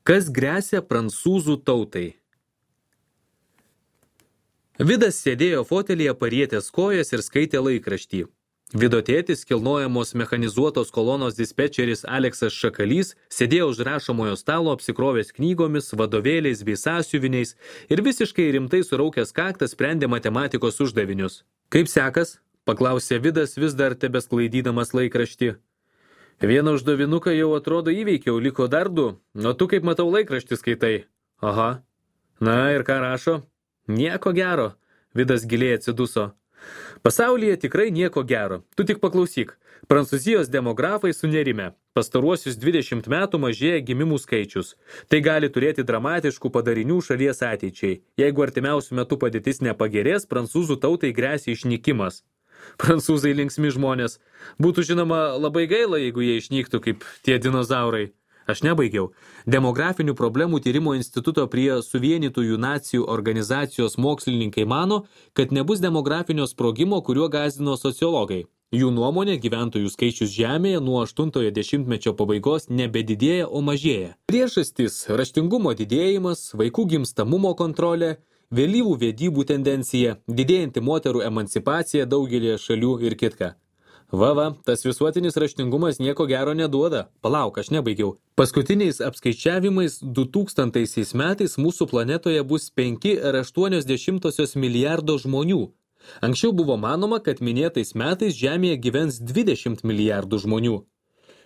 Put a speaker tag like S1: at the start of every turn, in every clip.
S1: Kas gresia prancūzų tautai? Vidas sėdėjo fotelyje parietęs kojas ir skaitė laikraštį. Vido tėtis, kilnojamos mechanizuotos kolonos dispečeris Aleksas Šakalys, sėdėjo už rašomojo stalo apsikrovęs knygomis, vadovėliais bei sąsiuviniais ir visiškai rimtai suraukęs kaktą sprendė matematikos uždavinius. Kaip sekas? Paklausė Vidas, vis dar tebesklaidydamas laikraštį. Vieną uždavinuką jau atrodo įveikiau, liko dar 2, o tu kaip matau laikraštį skaitai. Aha. Na ir ką rašo? Nieko gero. Vidas giliai atsiduso. Pasaulyje tikrai nieko gero. Tu tik paklausyk. Prancūzijos demografai sunerime. Pastaruosius 20 metų mažėja gimimų skaičius. Tai gali turėti dramatiškų padarinių šalies ateičiai. Jeigu artimiausių metų padėtis nepagerės, prancūzų tautai gresia išnykimas. Prancūzai linksmi žmonės. Būtų žinoma labai gaila, jeigu jie išnyktų kaip tie dinozaurai. Aš nebaigiau. Demografinių problemų tyrimo instituto prie Suvienytųjų nacijų organizacijos mokslininkai mano, kad nebus demografinio sprogimo, kuriuo gąsdino sociologai. Jų nuomonė, gyventojų skaičius Žemėje nuo 80-ojo dešimtmečio pabaigos nebedidėja, o mažėja. Priežastys – raštingumo didėjimas, vaikų gimstamumo kontrolė, vėlyvų vedybų tendencija, didėjanti moterų emancipacija daugelėje šalių ir kitka. Va, tas visuotinis raštingumas nieko gero neduoda. Palauk, aš nebaigiau. Paskutiniais apskaičiavimais 2000 metais mūsų planetoje bus 5,8 milijardo žmonių. Anksčiau buvo manoma, kad minėtais metais Žemėje gyvens 20 milijardų žmonių.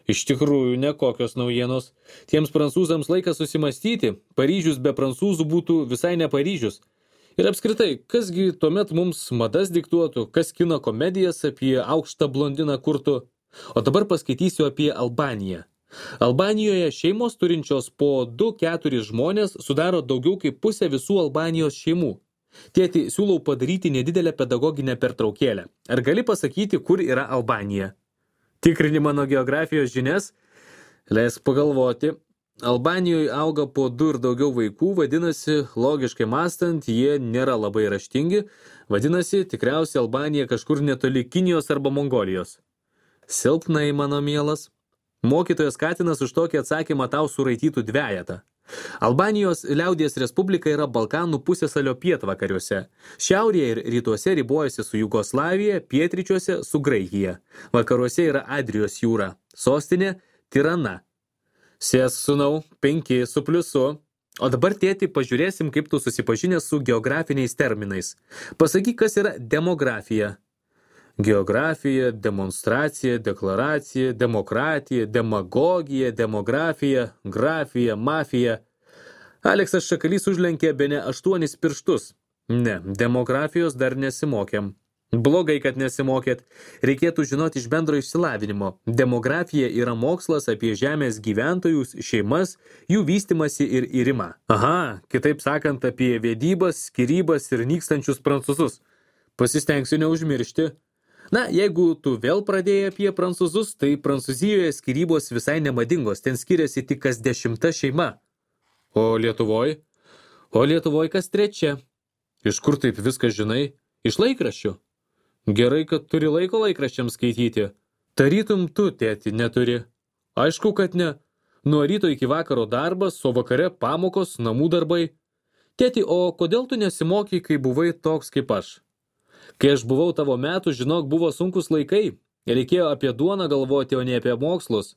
S1: Iš tikrųjų, nekokios naujienos. Tiems prancūzams laikas susimastyti. Paryžius be prancūzų būtų visai ne Paryžius. Ir apskritai, kasgi tuomet mums madas diktuotų, kas kino komedijas apie aukštą blondiną kurtų. O dabar paskaitysiu apie Albaniją. Albanijoje šeimos turinčios po 2-4 žmonės sudaro daugiau kaip pusę visų Albanijos šeimų. Tėti, siūlau padaryti nedidelę pedagoginę pertraukėlę. Ar gali pasakyti, kur yra Albanija? Tikrini mano geografijos žinias? Leisk pagalvoti. Albanijoje auga po 2 ir daugiau vaikų, vadinasi, logiškai mąstant, jie nėra labai raštingi, vadinasi, tikriausiai Albanija kažkur netoli Kinijos arba Mongolijos. Silpnai, mano mielas. Mokytojas Katinas už tokį atsakymą tau suraitytų 2. Albanijos liaudies respublika yra Balkanų pusiasalio pietvakariuose. Šiaurėje ir rytuose ribojasi su Jugoslavija, pietryčiuose su Graikija. Vakaruose yra Adrijos jūra. Sostinė Tirana. Sėsk, sūnau, 5 su pliusu. O dabar, tėti, pažiūrėsim, kaip tu susipažinęs su geografiniais terminais. Pasakyk, kas yra demografija. Geografija, demonstracija, deklaracija, demokratija, demagogija, demografija, grafija, mafija. Aleksas Šakalys užlenkė bene 8 pirštus. Ne, demografijos dar nesimokėm. Blogai, kad nesimokėt. Reikėtų žinoti iš bendro išsilavinimo. Demografija yra mokslas apie žemės gyventojus, šeimas, jų vystimasi ir irimą. Aha, kitaip sakant, apie vedybas, skyrybas ir nykstančius prancūzus. Pasistengsiu neužmiršti. Na, jeigu tu vėl pradėjai apie prancūzus, tai Prancūzijoje skyrybos visai nemadingos, ten skiriasi tik kas 10 šeima. O Lietuvoj? O Lietuvoj kas 3. Iš kur taip viską žinai? Iš laikraščių. Gerai, kad turi laiko laikraščiams skaityti. Tarytum tu, tėti, neturi. Aišku, kad ne. Nuo ryto iki vakaro darbas, o vakare pamokos, namų darbai. Tėti, o kodėl tu nesimokai, kai buvai toks kaip aš? Kai aš buvau tavo metų, žinok, buvo sunkus laikai. Reikėjo apie duoną galvoti, o ne apie mokslus.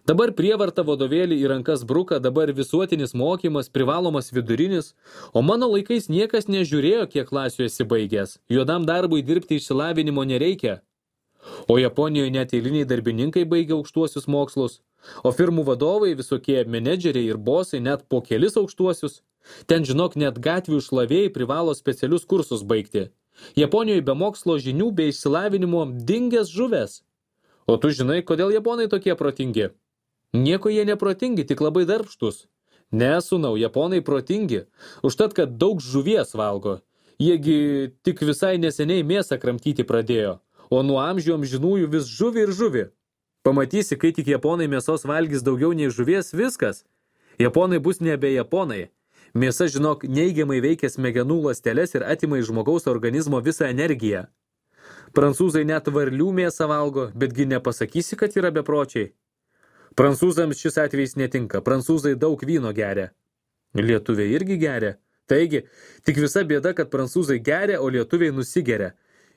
S1: Dabar prievarta vadovėlį į rankas bruka, dabar visuotinis mokymas, privalomas vidurinis, o mano laikais niekas nežiūrėjo, kiek klasių esi baigęs. Juodam darbui dirbti išsilavinimo nereikia. O Japonijoje net eiliniai darbininkai baigia aukštuosius mokslus, o firmų vadovai, visokie menedžeriai ir bosai net po kelis aukštuosius. Ten, žinok, net gatvių šlavėjai privalo specialius kursus baigti. Japonijoje be mokslo žinių, be išsilavinimo dingęs žuvęs. O tu žinai, kodėl japonai tokie protingi? Nieko jie neprotingi, tik labai darbštus. Ne, sūnau, japonai protingi. Užtat, kad daug žuvies valgo. Jiegi tik visai neseniai mėsą kramtyti pradėjo. O nuo amžių amžinųjų vis žuvi ir žuvi. Pamatysi, kai tik japonai mėsos valgys daugiau nei žuvies, viskas. Japonai bus nebe japonai. Mėsa, žinok, neigiamai veikia smegenų ląsteles ir atima iš žmogaus organizmo visą energiją. Prancūzai net varlių mėsą valgo, betgi nepasakysi, kad yra bepročiai. Prancūzams šis atvejs netinka. Prancūzai daug vyno geria. Lietuviai irgi geria. Taigi, tik visa bėda, kad prancūzai geria, o lietuviai nusigeria.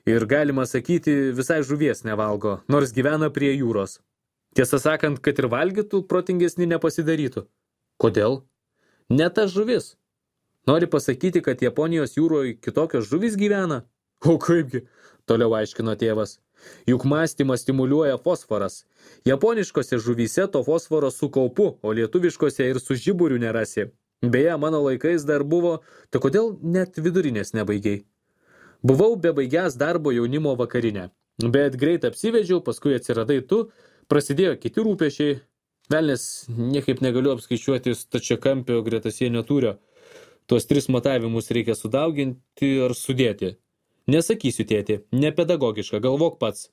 S1: Ir galima sakyti, visai žuvies nevalgo, nors gyvena prie jūros. Tiesą sakant, kad ir valgytų, protingesni nepasidarytų. Kodėl? Ne ta žuvis. Nori pasakyti, kad Japonijos jūroje kitokios žuvis gyvena? O kaipgi? Toliau aiškino tėvas. Juk mąstymą stimuliuoja fosforas. Japoniškose žuvyse to fosforo su kaupu, o lietuviškose ir su žiburiu nerasi. Beje, mano laikais dar buvo, tai kodėl net vidurinės nebaigiai? Buvau bebaigęs darbo jaunimo vakarinę, bet greit apsivedžiau, paskui atsiradai tu, prasidėjo kiti rūpešiai. Velnės niekaip negaliu apskaičiuoti stačiakampio gretasienio tūrio. Tuos 3 matavimus reikia sudauginti ar sudėti. Nesakysiu, tėti, nepedagogiška, galvok pats.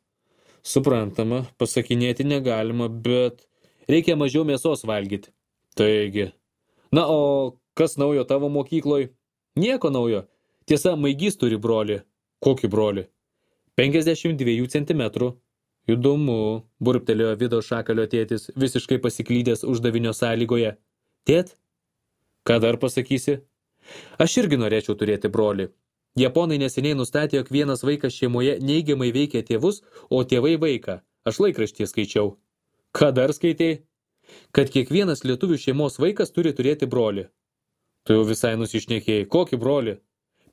S1: Suprantama, pasakinėti negalima, bet reikia mažiau mėsos valgyti. Taigi. Na, o kas naujo tavo mokykloj? Nieko naujo. Tiesa, Maigys turi brolį. Kokį brolį? 52 centimetrų. Įdomu, burbtelėjo Vido Šakalio tėtis, visiškai pasiklydęs uždavinio sąlygoje. Tėt? Ką dar pasakysi? Aš irgi norėčiau turėti brolį. Japonai neseniai nustatė, jog vienas vaikas šeimoje neigiamai veikia tėvus, o tėvai vaiką. Aš laikraštyje skaičiau. Ką dar skaitei? Kad kiekvienas lietuvių šeimos vaikas turi turėti brolį. Tu jau visai nusišnekėjai. Kokį brolį?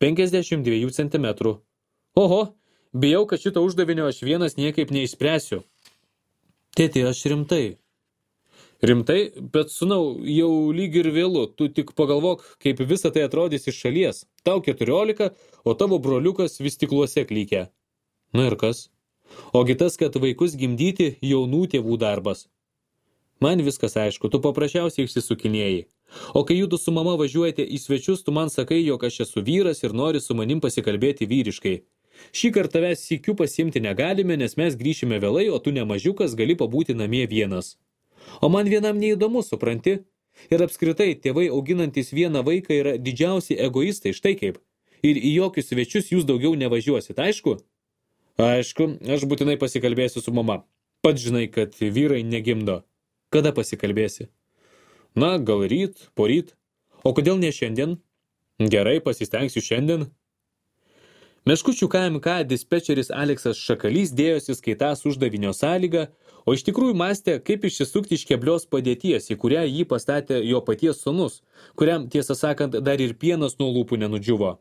S1: 52 centimetrų. Oho, bijau, kad šito uždavinio aš vienas niekaip neišspręsiu. Tėti, aš rimtai. Rimtai, bet sūnau, jau lyg ir vėlu. Tu tik pagalvok, kaip visa tai atrodys iš šalies. Tau 14, o tavo broliukas vis stikluose klykia. Na ir kas? Ogi tas, kad vaikus gimdyti jaunų tėvų darbas. Man viskas aišku, tu paprasčiausiai išsisukinėjai. O kai jūdu su mama važiuojate į svečius, tu man sakai, jog aš esu vyras ir nori su manim pasikalbėti vyriškai. Šį kartą tavęs sykiu pasiimti negalime, nes mes grįšime vėlai, o tu nemažiukas gali pabūti namie vienas. O man vienam neįdomu, supranti? Ir apskritai, tėvai auginantis vieną vaiką yra didžiausi egoistai, štai kaip. Ir į jokius svečius jūs daugiau nevažiuosit, aišku? Aišku, aš būtinai pasikalbėsiu su mama. Pats žinai, kad vyrai negimdo. Kada pasikalbėsi? Na, gal ryt, poryt. O kodėl ne šiandien? Gerai, pasistengsiu šiandien. Meškučių KMK dispečeris Aleksas Šakalys dėjosi skaitąs uždavinio sąlygą, o iš tikrųjų mąstė, kaip išsisukti iš keblios padėties, į kurią jį pastatė jo paties sūnus, kuriam, tiesą sakant, dar ir pienas nuo lūpų nenudžiuvo.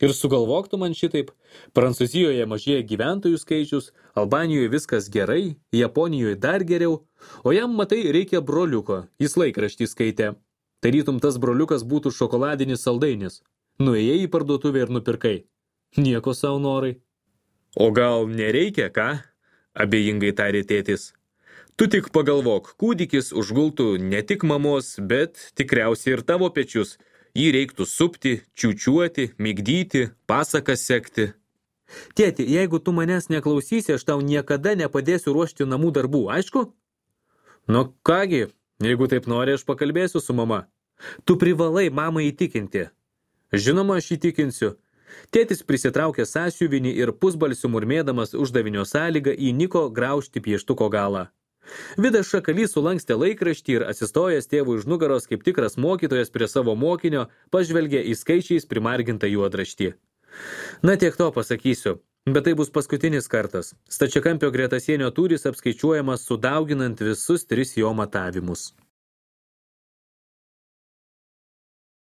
S1: Ir sugalvoktų man šitaip, Prancūzijoje mažėja gyventojų skaičius, Albanijoje viskas gerai, Japonijoje dar geriau, o jam, matai, reikia broliuko, jis laikraštį skaitė. Tarytum tas broliukas būtų šokoladinis saldainis. Nuėjai į parduotuvę ir nupirkai. Nieko savo norai. O gal nereikia, ką? Abejingai tarė tėtis. Tu tik pagalvok, kūdikis užgultų ne tik mamos, bet tikriausiai ir tavo pečius. Jį reiktų supti, čiūčiuoti, migdyti, pasakas sekti. Tėti, jeigu tu manęs neklausysi, aš tau niekada nepadėsiu ruošti namų darbų, aišku? Nu kągi, jeigu taip nori, aš pakalbėsiu su mama. Tu privalai mamą įtikinti. Žinoma, aš įtikinsiu. Tėtis prisitraukė sąsiuvinį ir pusbalsiu murmėdamas uždavinio sąlygą įniko graužti pieštuko galą. Vidas Šakalys sulankstė laikraštį ir atsistojęs tėvui už nugaros kaip tikras mokytojas prie savo mokinio pažvelgė į skaičiais primargintą juodraštį. Na tiek to pasakysiu, bet tai bus paskutinis kartas. Stačiakampio gretasienio tūris apskaičiuojamas sudauginant visus 3 jo matavimus.